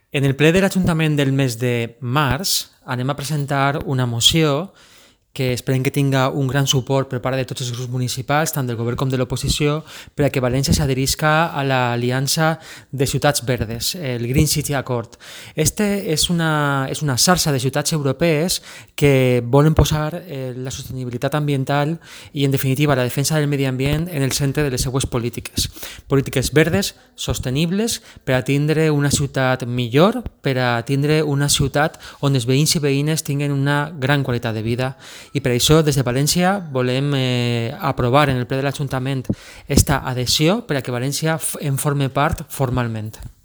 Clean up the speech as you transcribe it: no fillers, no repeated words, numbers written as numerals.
En el ple de l'Ajuntament del mes de març anem a presentar una moció que esperem que tinga un gran suport per part de tots els grups municipals, tant del govern com de l'oposició, per a que València s'adherisca a l'Aliança de Ciutats Verdes, el Green City Accord. Este és una xarxa de ciutats europees que volen posar la sostenibilitat ambiental i, en definitiva, la defensa del medi ambient en el centre de les seues polítiques. Polítiques verdes, sostenibles, per a tindre una ciutat millor, per a tindre una ciutat on els veïns i veïnes tinguin una gran qualitat de vida. I per això, des de València, volem aprovar en el ple de l'Ajuntament esta adhesió per a que València en forme part formalment.